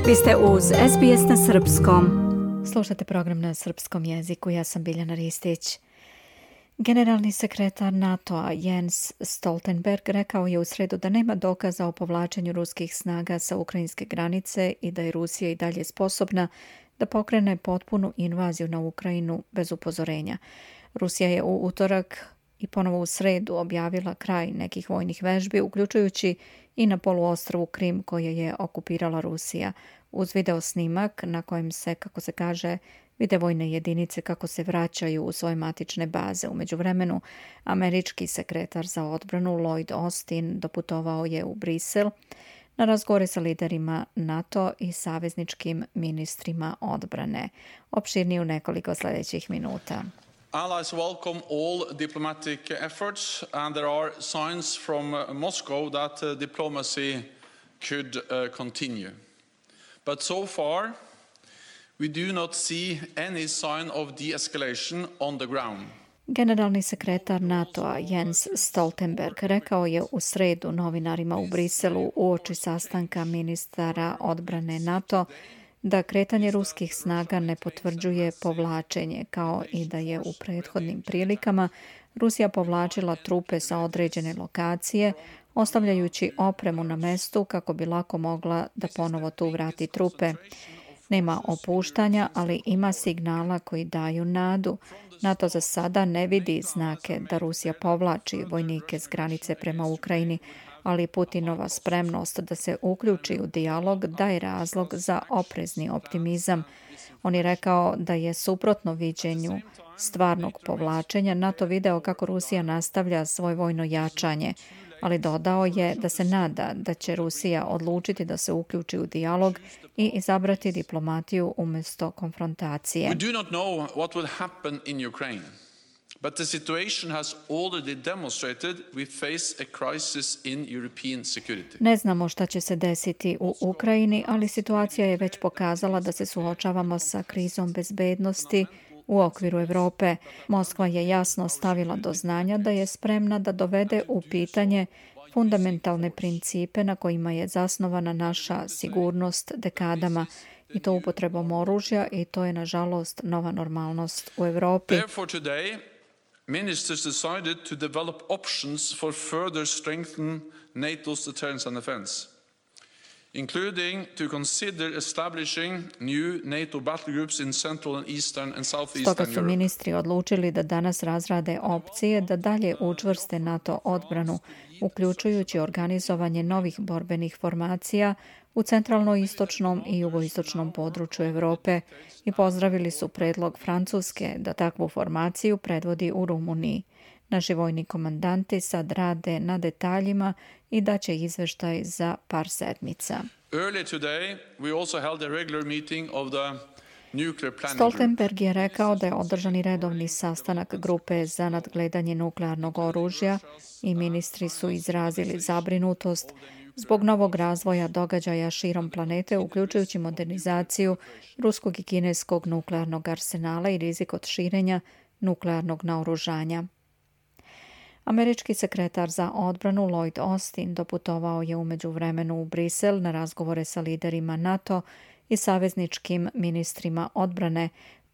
Vi ste uz SBS na srpskom. Slušate program na srpskom jeziku. Ja sam Biljana Ristić. Generalni sekretar NATO-a Jens Stoltenberg rekao je u sredu da nema dokaza o povlačenju ruskih snaga sa ukrajinske granice i da je Rusija i dalje sposobna da pokrene potpunu invaziju na Ukrajinu bez upozorenja. Rusija je u utorak i ponovo u sredu objavila kraj nekih vojnih vežbi, uključujući i na poluostrvu Krim koje je okupirala Rusija, uz video snimak na kojem se, kako se kaže, vide vojne jedinice kako se vraćaju u svoje matične baze. U međuvremenu, američki sekretar za odbranu Lloyd Austin doputovao je u Brisel na razgovore sa liderima NATO i savezničkim ministrima odbrane. Opširnije u nekoliko sljedećih minuta. Allies welcome all diplomatic efforts, and there are signs from Moscow that diplomacy could continue. But so far, we do not see any sign of de-escalation on the ground. Generalni sekretar NATO-a Jens Stoltenberg rekao je u sredu novinarima u Briselu uoči sastanka ministara odbrane NATO da kretanje ruskih snaga ne potvrđuje povlačenje, kao i da je u prethodnim prilikama Rusija povlačila trupe sa određene lokacije, ostavljajući opremu na mestu kako bi lako mogla da ponovo tu vrati trupe. Nema opuštanja, ali ima signala koji daju nadu. NATO za sada ne vidi znake da Rusija povlači vojnike s granice prema Ukrajini, ali Putinova spremnost da se uključi u dijalog daje razlog za oprezni optimizam. On je rekao da je suprotno viđenju stvarnog povlačenja NATO video kako Rusija nastavlja svoje vojno jačanje, ali dodao je da se nada da će Rusija odlučiti da se uključi u dijalog i izabrati diplomatiju umjesto konfrontacije. We do not know what will happen in Ukraine, but the situation has already demonstrated we face a crisis in European security. Ne znamo šta će se desiti u Ukrajini, ali situacija je već pokazala da se suočavamo sa krizom bezbednosti u okviru Europe. Moskva je jasno stavila do znanja da je spremna da dovede u pitanje fundamentalne principe na kojima je zasnovana naša sigurnost dekadama, i to upotrebom oružja, i to je nažalost nova normalnost u Europi. Therefore today, ministers decided to develop options for further strengthen NATO's deterrence and defense, including to consider establishing new NATO battle groups in Central and Eastern and Southeastern Stoga su Europe. ministri odlučili da danas razrade opcije da dalje učvrste NATO odbranu, uključujući organizovanje novih borbenih formacija u centralno-istočnom i jugoistočnom području Europe, i pozdravili su predlog Francuske da takvu formaciju predvodi u Rumuniji. Naši vojni komandanti sad rade na detaljima i daće izveštaj za par sedmica. Earlier today, we also held a regular meeting of the nuclear planning group. Stoltenberg je rekao da je održan i redovni sastanak grupe za nadgledanje nuklearnog oružja i ministri su izrazili zabrinutost zbog novog razvoja događaja širom planete, uključujući modernizaciju ruskog i kineskog nuklearnog arsenala i rizik od širenja nuklearnog naoružanja. Američki sekretar za odbranu Lloyd Austin doputovao je u međuvremenu u Brisel na razgovore sa liderima NATO i savezničkim ministrima odbrane.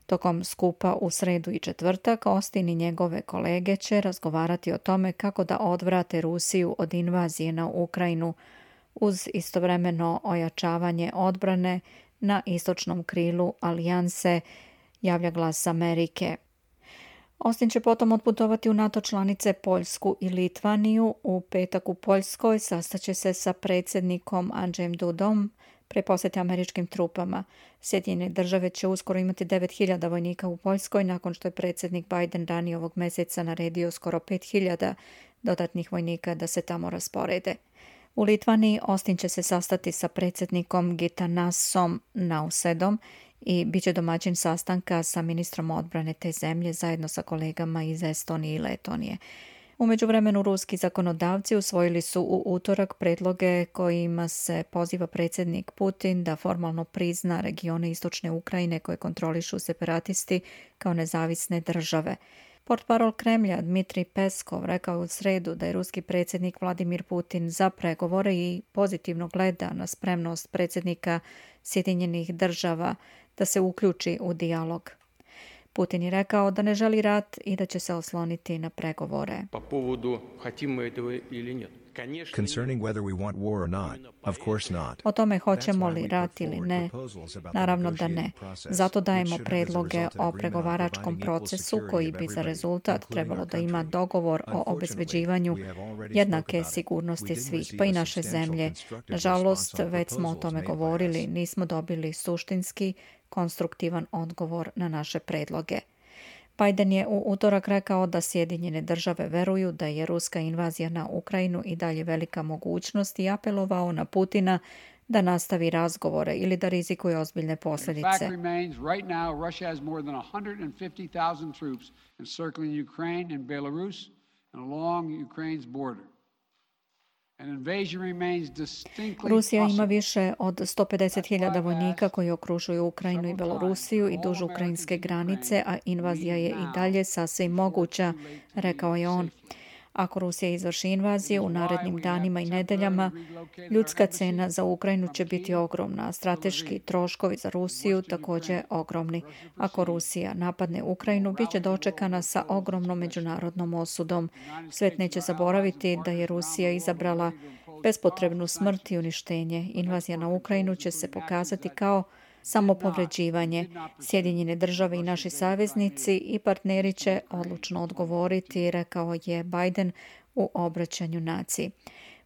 Tokom skupa u sredu i četvrtak, Austin i njegove kolege će razgovarati o tome kako da odvrate Rusiju od invazije na Ukrajinu, uz istovremeno ojačavanje odbrane na istočnom krilu alijanse, javlja Glas Amerike. Austin će potom otputovati u NATO članice Poljsku i Litvaniju. U petak u Poljskoj sastaće se sa predsjednikom Andrzejem Dudom pre posjete američkim trupama. Sjedinjene države će uskoro imati 9.000 vojnika u Poljskoj, nakon što je predsjednik Biden ranije ovog mjeseca naredio skoro 5.000 dodatnih vojnika da se tamo rasporede. U Litvaniji Austin će se sastati sa predsjednikom Gitanasom Nausedom i bit će domaćin sastanka sa ministrom odbrane te zemlje zajedno sa kolegama iz Estonije i Letonije. U međuvremenu ruski zakonodavci usvojili su u utorak predloge kojima se poziva predsjednik Putin da formalno prizna regione istočne Ukrajine koje kontrolišu separatisti kao nezavisne države. Portparol Kremlja Dmitrij Peskov rekao je u sredu da je ruski predsjednik Vladimir Putin za pregovore i pozitivno gleda na spremnost predsjednika Sjedinjenih država da se uključi u dijalog. Putin je rekao da ne želi rat i da će se osloniti na pregovore. Concerning whether we want war or not, of course not. O tome hoćemo li rat ili ne, naravno da ne. Zato dajemo predloge o pregovaračkom procesu koji bi za rezultat trebalo da ima dogovor o obezbeđivanju jednake sigurnosti svih, pa i naše zemlje. Nažalost, već smo o tome govorili, nismo dobili suštinski, konstruktivan odgovor na naše predloge. Biden je u utorak rekao da Sjedinjene države veruju da je ruska invazija na Ukrajinu i dalje velika mogućnost i apelovao na Putina da nastavi razgovore ili da rizikuje ozbiljne posljedice. Rusija ima više od 150.000 vojnika koji okružuju Ukrajinu i Belorusiju i duž ukrajinske granice, a invazija je i dalje sasvim moguća, rekao je on. Ako Rusija izvrši invaziju u narednim danima i nedeljama, ljudska cena za Ukrajinu će biti ogromna, a strateški troškovi za Rusiju također ogromni. Ako Rusija napadne Ukrajinu, bit će dočekana sa ogromnom međunarodnom osudom. Svet neće zaboraviti da je Rusija izabrala bespotrebnu smrt i uništenje. Invazija na Ukrajinu će se pokazati kao samopovređivanje. Sjedinjene države i naši saveznici i partneri će odlučno odgovoriti, rekao je Biden u obraćanju naciji.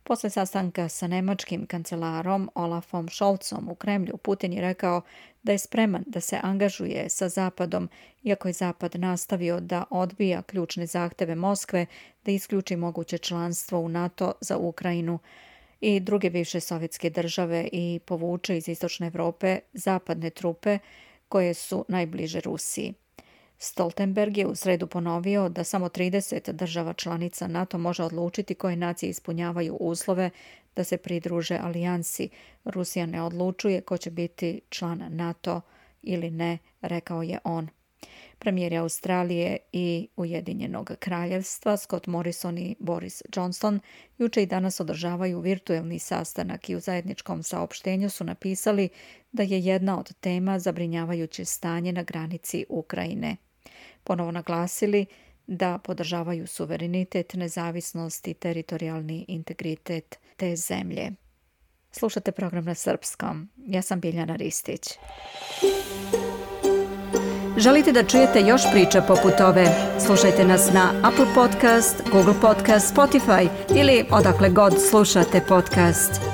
Posle sastanka sa nemačkim kancelarom Olafom Scholzom u Kremlju, Putin je rekao da je spreman da se angažuje sa Zapadom, iako je Zapad nastavio da odbija ključne zahteve Moskve da isključi moguće članstvo u NATO za Ukrajinu i druge bivše sovjetske države i povuče iz istočne Evrope zapadne trupe koje su najbliže Rusiji. Stoltenberg je u sredu ponovio da samo 30 država članica NATO može odlučiti koje nacije ispunjavaju uslove da se pridruže alijansi. Rusija ne odlučuje ko će biti član NATO ili ne, rekao je on. Premijeri Australije i Ujedinjenog kraljevstva Scott Morrison i Boris Johnson juče i danas održavaju virtuelni sastanak i u zajedničkom saopštenju su napisali da je jedna od tema zabrinjavajuće stanje na granici Ukrajine. Ponovo naglasili da podržavaju suverenitet, nezavisnost i teritorijalni integritet te zemlje. Slušate program na srpskom. Ja sam Biljana Ristić. Želite da čujete još priča poput ove? Slušajte nas na Apple Podcast, Google Podcast, Spotify ili odakle god slušate podcast.